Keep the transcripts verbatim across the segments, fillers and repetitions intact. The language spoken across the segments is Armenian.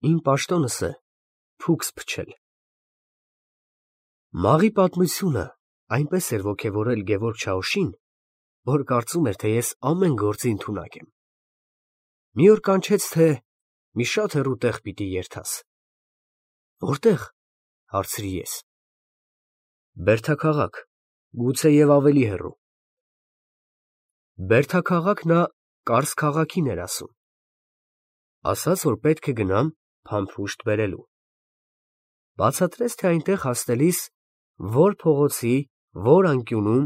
Իմ պաշտոնս է փուքս փչել։ Մաղի պատմությունը այնպես էր ոգևորել Գևորգ Չաուշին, որ կարծում էր, թե ես ամեն գործի ընդունակ եմ։ Մի օր կանչեց, թե մի շատ հեռու տեղ պիտի երթաս։ Որտե՞ղ, հարցրի ես։ Բերդաքաղաք, գուցե և ավելի հեռու։ Բերդաքաղաք նա Կարս քաղաքին էր ասում։ Ասաց, որ պետք է գնամ փամփուշտ բերելու։ Բացատրեց, թե այնտեղ հասնելիս որ փողոցի, որ անկյունում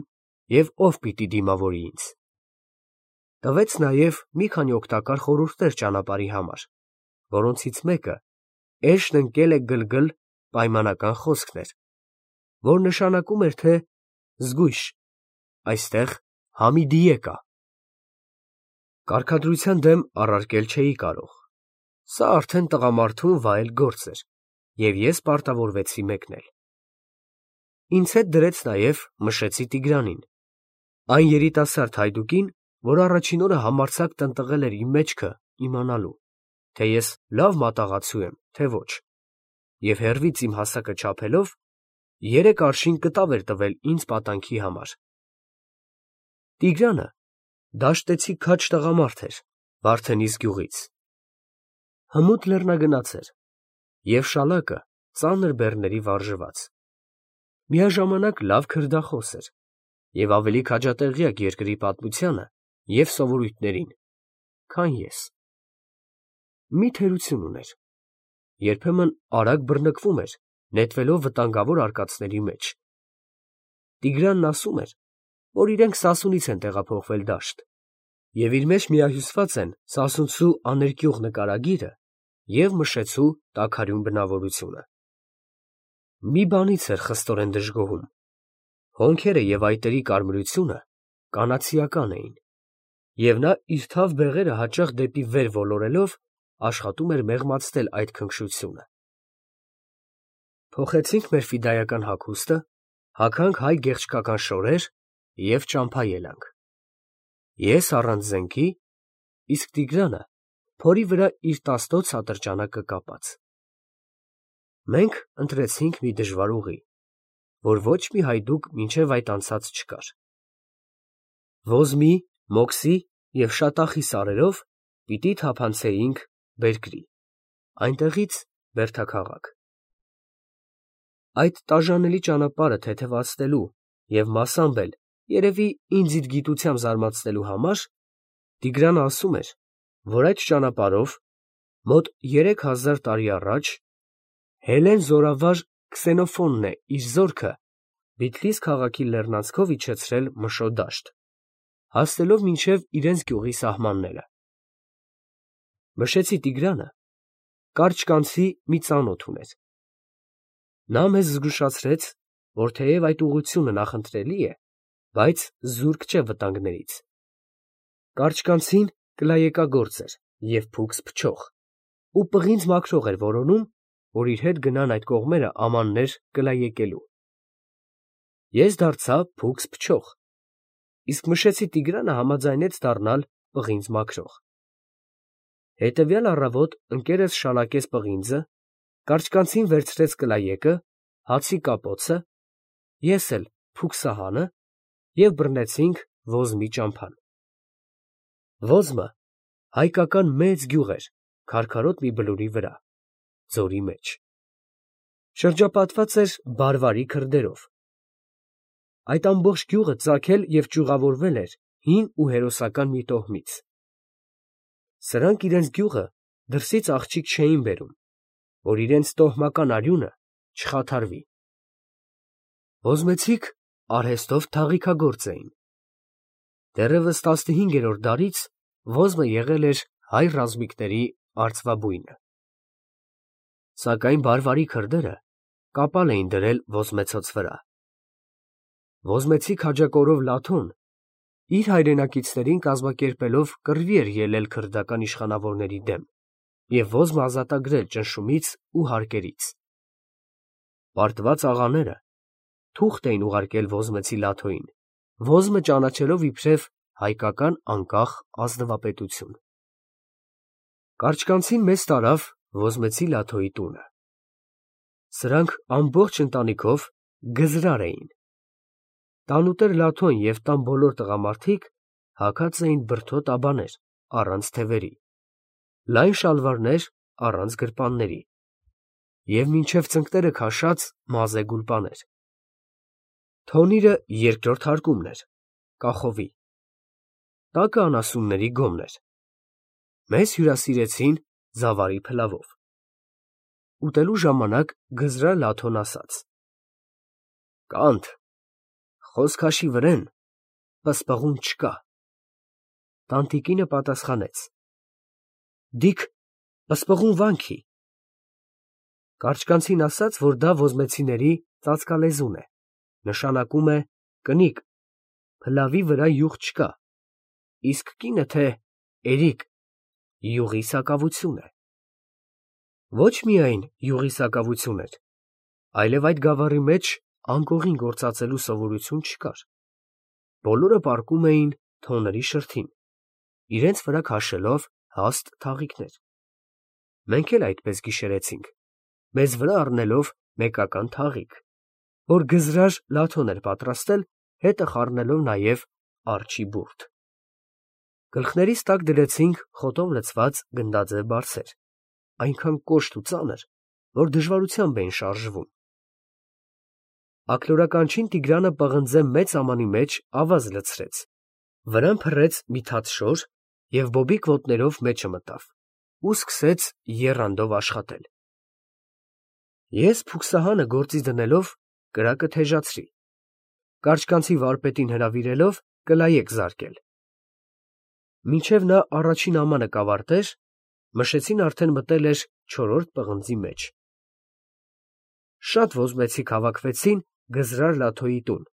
և ով պիտի դիմավորի ինձ։ Տվեց նաև մի քանի օգտակար խորհուրդներ ճանապարհի համար, որոնցից մեկը էշն ընկել է գլգլ պայմանական խոսքն էր, որ նշանակում էր, թե զգույշ, այստեղ Համիդիե կա։ Կարգադրության դեմ առարկել չէի կարող, սա արդեն տղամարդուն վայել գործ էր, և ես պարտավորվեցի մեկնել։ Ինձ հետ դրեց նաև Մշեցի Տիգրանին, այն երիտասարդ հայդուկին, որ առաջին օրը համարձակ տնտղել էր իմ մեջքը իմանալու, թե ես լավ մատաղացու եմ, թե ոչ, և հեռվից իմ հասակը չափելով, երեք արշին կտավ էր տվել ինձ պատանքի համար։ Տիգրանը դաշտեցի քաջ տղամարդ էր Վարդենիս գյուղից։ Հմուտ լեռնագնաց էր և շալակը ծանր բեռների վարժված։ Միաժամանակ լավ քրդախոս էր և ավելի քաջատեղյակ երկրի պատմությանը և սովորույթներին, քան ես։ Մի թերություն ուներ, երբեմն արագ բռնկվում էր, նետվելով վտանգավոր արկածների մեջ։ Տիգրանն ասում էր, որ իրենք Սասունից են տեղափոխվել դաշտ, և իր մեջ միահյուսված են Սասունցու աներկյուղ նկարագիրը և Մշեցու տաքարյուն բնավորությունը։ Մի բանից էր խստորեն դժգոհում. հոնքերը և այտերի կարմրությունը կանացիական էին, և նա իր թավ բեղերը հաճախ դեպի վեր ոլորելով աշխատում էր մեղմացնել այդ քնքշությունը։ Փոխեցինք մեր ֆիդայական հագուստը, հագանք հայ գեղչկական շորեր և ճամփա ելանք։ Ես առանց զենքի, իսկ Տիգրանը փորի վրա իր տասնոց ատրճանակը կապած։ Մենք ընտրեցինք մի դժվար ուղի, որ ոչ մի հայդուկ մինչև այդ անցած չկար։ Ոզմի, մոքսի և շատախի սարերով պիտի թափանցեինք բերկրի, այնտեղից բերդաքաղաք։ Այդ տաժանելի ճանապարհը թեթևացնելու և մասամբ էլ, երևի, ինձ իր գիտությամբ զարմացնելու համար Տիգրանը ասում էր, որ այդ ճանապարհով, մոտ երեք հազար տարի առաջ, Հելլեն զորավար Քսենոֆոնտն է իր զորքը Բիթլիս քաղաքի լեռնանցքով իջեցրել Մշո դաշտ, հասնելով մինչև իրենց գյուղի սահմանները։ Մշեցի Տիգրանը կարճկանցի մի ծանոթ ուներ։ Նա մեզ զգուշացրեց, որ թեև այդ ուղղությունը նախընտրելի է, բայց զուրկ չէ վտանգներից։ Կարճկանցին կլայեկագործ էր և փուքս փչող, ու պղինձ մաքրող էր որոնում, որ իր հետ գնան այդ կողմերը ամաններ կլայեկելու։ Ես դարձա փուքս փչող, իսկ Մշեցի Տիգրանը համաձայնեց դառնալ պղինձ մաքրող։ Հետևյալ առավոտ ընկերս շալակեց պղինձը, կարճկանցին վերցրեց կլայեկը, հացի կապոցը, ես էլ փուքսահանը և բռնեցինք Ոզմի ճամփան։ Ոզմը հայկական մեծ գյուղ էր քարքարոտ մի բլուրի վրա, ձորի մեջ։ Շրջապատված էր բարվարի քրդերով։ Այդ ամբողջ գյուղը ծագել և ճյուղավորվել էր հին ու հերոսական մի տոհմից։ Սրանք իրենց գյուղը դրսից աղջիկ չէին բերում, որ իրենց տոհմական արյունը չխաթարվի։ Ոզմեցիք արհեստով թաղիքագործ էին։ Դեռևս տասնհինգերորդ դարից Ոզմը եղել էր հայ ռազմիկների արծվաբույնը։ Սակայն բարվարի քրդերը կապալ էին դրել ոզմեցոց վրա։ Ոզմեցի քաջակորով Լաթոն իր հայրենակիցներին կազմակերպելով կռվի էր ելել քրդական իշխանավորների դեմ և Ոզմը ազատագրել ճնշումից ու հարկերից։ Պարտված աղաները թուղթ էին ուղարկել Ոզմեցի Լաթոյին, Ոզմը ճանաչելով իբրև հայկական անկախ ազնվապետություն։ Կարճկանցին մեզ տարավ ոզմեցի Լաթոյի տունը։ Սրանք ամբողջ ընտանիքով գզրար էին։ Տանուտեր Լաթոն և տան բոլոր տղամարդիկ հագած էին բրդոտ աբաներ առանց թևերի, լայն շալվարներ առանց գրպանների և մինչև ծնկները քաշած մազե գուլպաներ։ Թոնիրը երկրորդ հարկումն էր, կախովի։ Տակը անասունների գոմն էր։ Մեզ հյուրասիրեցին զավարի փլավով։ Ուտելու ժամանակ գզրար Լաթոն ասաց. «Կանդ, խոսք հաշի վրեն, պսպղուն չկա»։ Տանտիկինը պատասխանեց. «Դիք պսպղուն վանքի»։ Կարճկանցին ասաց, որ դա ոզմեցիների ծածկալեզուն է, նշանակում է կնիկ, փլավի վրա յուղ չկա, իսկ կինը թե էրիկ, յուղի սակավություն է։ Ոչ միայն յուղի սակավություն էր, այլև այդ գավառի մեջ անկողին գործածելու սովորություն չկար։ Բոլորը պառկում էին թոների շրթին, իրենց վրա քաշելով հաստ թաղիքներ։ Մենք էլ այդպես գիշերեցինք, մեզ վրա առնելով մեկական թաղիկ, որ գզրար Լաթոն էր պատրաստել, հետը խառնելով նաև արջի բուրդ։ Գլխներիս տակ դրեցինք խոտով լցված գնդաձև բարձեր, այնքան կոշտ ու ծանր, որ դժվարությամբ էին շարժվում։ Աքլորականչին Տիգրանը պղնձե մեծ ամանի մեջ ավազ լցրեց, վրան փռեց մի թաթ շոր և բոբիկ ոտներով մեջը մտավ ու սկսեց եռանդով աշխատել։ Ես փուքսահանը գործի դնելով կրակը թեժացրի, կարճկանցի վարպետին հրավիրելով կլայեք զարկել։ Մինչև նա առաջին ամանը կավարտեր, մշեցին արդեն մտել էր չորրորդ պղնձի մեջ։ Շատ ոզմեցիք հավաքվեցին գզրար Լաթոյի տուն,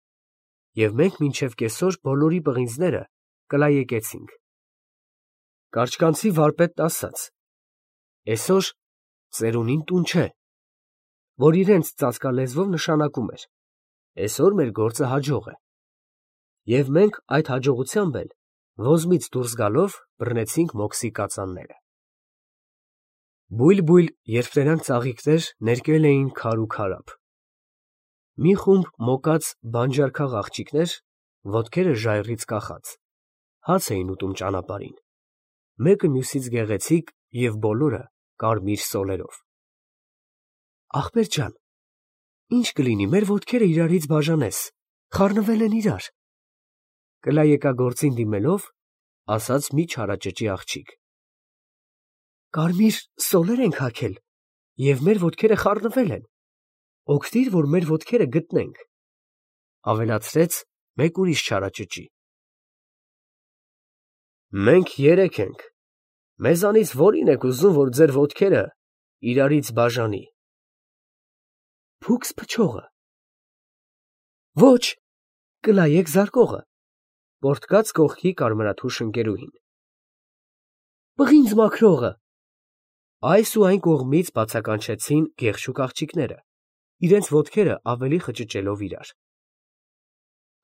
և մենք մինչև կեսօր բոլորի պղինձները կլայեկեցինք։ Կարճկանցի վարպետն ասաց. «Էսօր ծերունին տուն չէ», որ իրենց ծածկալեզվով նշանակում էր. «Էսօր մեր գործը հաջող է»։ Եվ մենք այդ հաջողությամբ էլ ոզմից դուրս գալով բռնեցինք մոքսի կածանները։ Բույլ֊բույլ երփրերանգ ծաղիկներ ներկել էին քար ու քարափ։ Մի խումբ մոկած բանջարքաղ աղջիկներ, ոտքերը ժայռից կախած, հաց էին ուտում ճանապարհին, մեկը մյուսից գեղեցիկ և բոլորը կարմիր սոլերով։ Ախպեր ջան, ի՞նչ կլինի, մեր ոտքերը իրարից բաժանես, խառնվել են իրար, կլայեկագործին դիմելով, ասաց մի չարաճճի աղջիկ։ Կարմիր սոլեր ենք հագել, և մեր ոտքերը խառնվել են, օգնիր, որ մեր ոտքերը գտնենք, ավելացրեց մեկ ուրիշ չարաճճի։ Մենք երեք ենք, մեզանից որի՞ն եք ուզում, որ ձեր ոտքերը իրարից բաժանի։ Փուքս փչողը։ Ոչ, կլայեք զարկողը, պոռթկաց կողքի կարմրաթուշ ընկերուհին։ Պղինձ մաքրողը։ Այս ու այն կողմից բացականչեցին գեղշուկ աղջիկները, իրենց ոտքերը ավելի խճճելով իրար։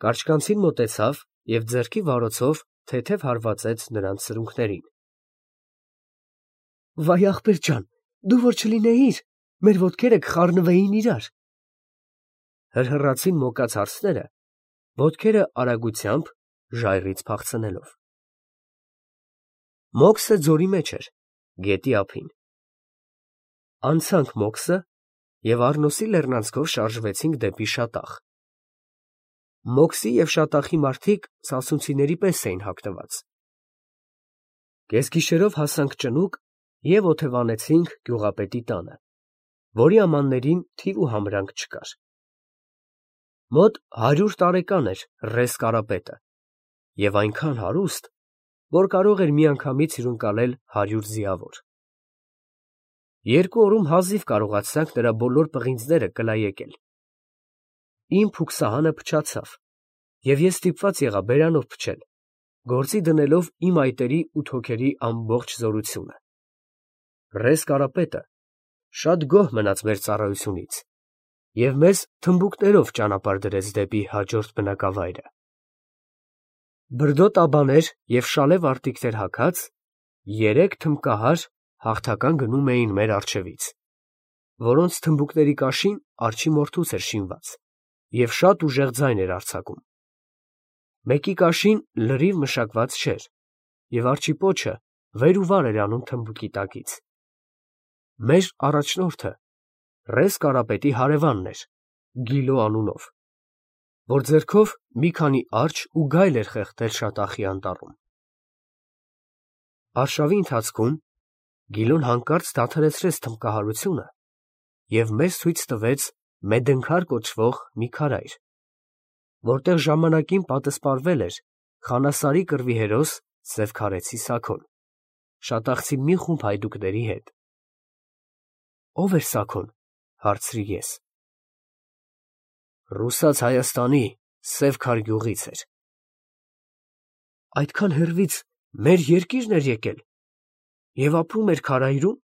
Կարճկանցին մոտեցավ և ձեռքի վարոցով թեթև հարվածեց նրանց սրունքներին։ Վայ ախպեր ջան, դու որ չլինեիր, մեր ոտքերը կխառնվեին իրար։ Հրհռացին մոկած հարցները, ոտքերը արագությամբ ժայռից փախցնելով։ Մոքսը ձորի մեջ էր, գետի ափին։ Անցանք մոքսը և Առնոսի լեռնանցքով շարժվեցինք դեպի Շատախ։ Մոքսի և Շատախի մարդիկ սասունցիների պես էին հագնված։ Կեսգիշերով հասանք ճնուկ և օթևանեցինք գյուղապետի տանը, որի ամաններին թիվ ու համրանք չկար։ Մոտ հարյուր տարեկան էր ռես Կարապետը և այնքան հարուստ, որ կարող էր միանգամից հյուրընկալել հարյուր ձիավոր։ Երկու օրում հազիվ կարողացանք նրա բոլոր պղինձները կլայեկել։ Իմ փուքսահանը փչացավ, և ես ստիպված եղա բերանով փչել, գործի դնելով իմ այտերի ու թոքերի ամբողջ զորությունը։ Ռես Կարապետը շատ գոհ մնաց մեր ծառայությունից և մեզ թմբուկներով ճանապարհ դրեց դեպի հաջորդ բնակավայրը։ Բրդոտ աբաներ և շալե վարտիքներ հագած երեք թմբկահար հաղթական գնում էին մեր առջևից, որոնց թմբուկների կաշին արջի մորթուց էր շինված և շատ ուժեղ ձայն էր արձակում։ Մեկի կաշին լրիվ մշակված չէր, և արջի պոչը վեր ու վար էր անում թմբուկի տակից։ Մեր առաջնորդը Ռեզ Կարապետի հարևանն էր, Գիլո անունով, որ ձեռքով մի քանի արջ ու գայլ էր խեղդել շատախի անտառում։ Արշավի ընթացքում Գիլոն հանկարծ դադարեցրեց թմբկահարությունը և մեզ ցույց տվեց Մեդենքար կոչվող մի քարայր, որտեղ ժամանակին պատսպարվել էր Խանասարի կռվի հերոս Սևքարեցի Սաքոն, շատախցի մի խումբ հայդուկների հետ։ ֊ Ո՞վ էր Սաքոն, ֊ հարցրի ես։ ֊ Ռուսաց Հայաստանի Սևքար գյուղից էր։ ֊ Այդքան հեռվից մեր երկիր՞րն էր եկել և ապրում էր քարայրու՞մ։ ֊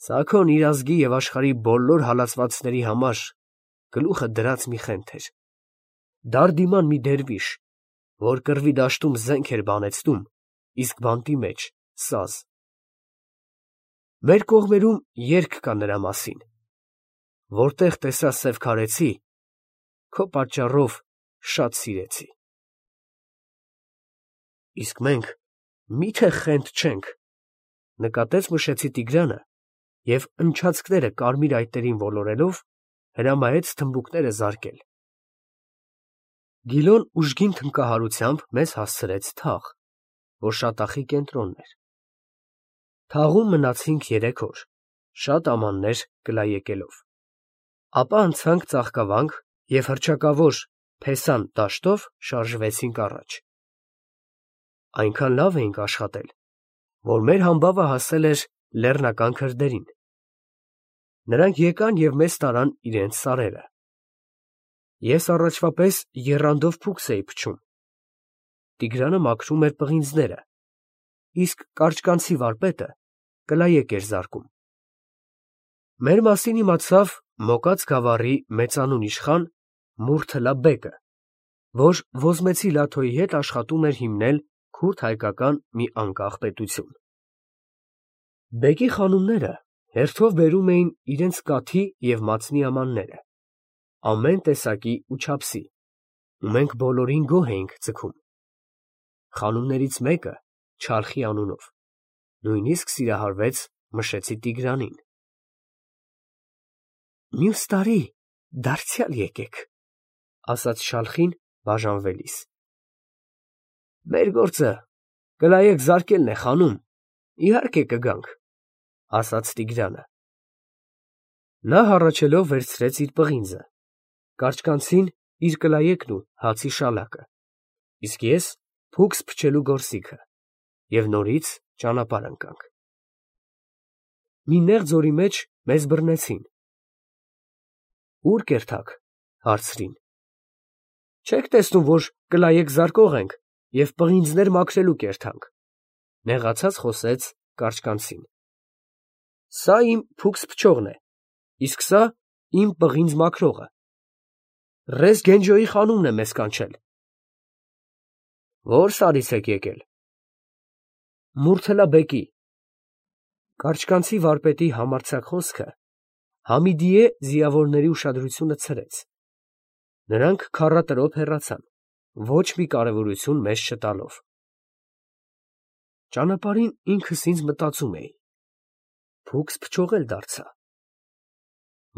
Սաքոն իր ազգի և աշխարհի բոլոր հալածվածների համար գլուխը դրած մի խենթ էր, դարդիման մի դերվիշ, որ կռվի դաշտում զենք էր բանեցնում, իսկ բանտի մեջ սազ։ Մեր կողմերում երգ կա նրա մասին. որտեղ տեսա Սևքարեցի, քո պատճառով շատ սիրեցի։ ֊ Իսկ մենք մի՞թե խենթ չենք, ֊ նկատեց Մշեցի Տիգրանը և ընչացքները կարմիր այտերին ոլորելով հրամայեց թմբուկները զարկել։ Գիլոն ուժգին թմբկահարությամբ մեզ հասցրեց թաղ, որ շատախի կենտրոնն էր։ Թաղում մնացինք երեք օր, շատ ամաններ կլայեկելով, ապա անցանք ծաղկավանք և հռչակավոր Փեսան դաշտով շարժվեցինք առաջ։ Այնքան լավ էինք աշխատել, որ մեր համբավը հասել էր լեռնական քրդերին։ Նրանք եկան և մեզ տարան իրենց սարերը։ Ես առաջվա պես եռանդով փուքս էի փչում, Տիգրանը մաքրում էր պղինձները, իսկ կարճկանցի վարպետը կլայեք էր զարկում։ Մեր մասին իմացավ Մոկած գավառի մեծանուն իշխան Մուրթլա բեկը, որ Ոզմեցի Լաթոյի հետ աշխատում էր հիմնել քուրդ֊հայկական մի անկախ պետություն։ Բեկի խանումները հերթով բերում էին իրենց կաթի և մածնի ամանները, ամեն տեսակի ու չափսի, ու մենք բոլորին գոհ էինք ձգում։ Խանումներից մեկը Չարխի անունով նույնիսկ սիրահարվեց Մշեցի Տիգրանին։ ֊ Մյուս տարի դարձյալ եկեք, ֊ ասաց Շալխին բաժանվելիս։ ֊ Մեր գործը կլայեք զարկելն է, խանում, իհարկե կգանք, ֊ ասաց Տիգրանը։ Նա հառաչելով վերցրեց իր պղինձը, կարճկանցին իր կլայեկն ու հացի շալակը, իսկ ես փուքս փչելու գործիքը, և նորից ճանապարհ ընկանք։ Մի նեղ ձորի մեջ մեզ բռնեցին։ ֊ Ո՞ւր կերթաք, ֊ հարցրին։ ֊ Չեք տեսնում, որ կլայեք զարկող ենք և պղինձներ մաքրելու կերթանք, ֊ նեղացած խոսեց կարճկանցին։ ֊ Սա իմ փուքս փչողն է, իսկ սա իմ պղինձ մաքրողը։ Ռեզ Գենջոյի խանումն է մեզ կանչել։ ֊ Ո՞ր սարից եք եկել։ ֊ Մուրթլա բեկի։ Կարճկանցի վարպետի համարձակ խոսքը Համիդիե ձիավորների ուշադրությունը ցրեց։ Նրանք քառատրոփ հեռացան, ոչ մի կարևորություն մեզ չտալով։ Ճանապարհին ինքս ինձ մտածում էի. փուքս փչող էլ դարձա։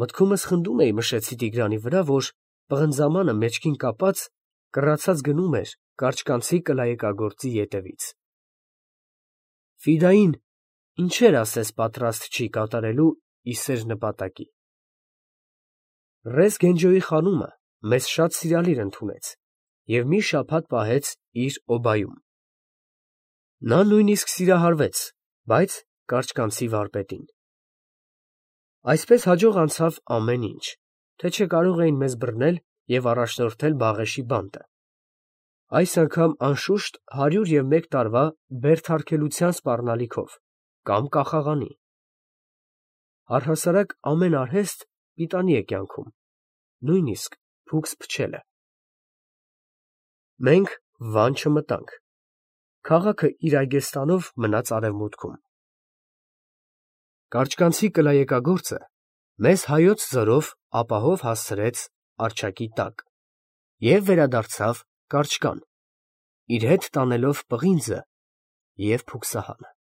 Մտքումս խնդում էի Մշեցի Տիգրանի վրա, որ պղնձամանը մեջքին կապած կռացած գնում էր կարճկանցի կլայեկագործի ետևից։ Ֆիդային ինչեր ասես պատրաստ չի կատարելու ի սեր նպատակի։ Ռեզ Գենջոյի խանումը մեզ շատ սիրալիր ընդունեց և մի շաբաթ պահեց իր օբայում։ Նա նույնիսկ սիրահարվեց, բայց կարճկանցի վարպետին։ Այսպես հաջող անցավ ամեն ինչ, թե չէ կարող էին մեզ բռնել և առաջնորդել Բաղեշի բանտը, այս անգամ անշուշտ հարյուր և մեկ տարվա բերդարգելության սպառնալիքով կամ կախաղանի։ Առհասարակ ամեն արհեստ պիտանի է կյանքում, նույնիսկ փուքս փչելը։ Մենք Վան չմտանք, քաղաքը իր այգեստանով մնաց արևմուտքում։ Կարճկանցի կլայեկագործը մեզ հայոց ձորով ապահով հասցրեց առջակի տակ և վերադարձավ կարճկան, իր հետ տանելով պղինձը և փուքսահանը։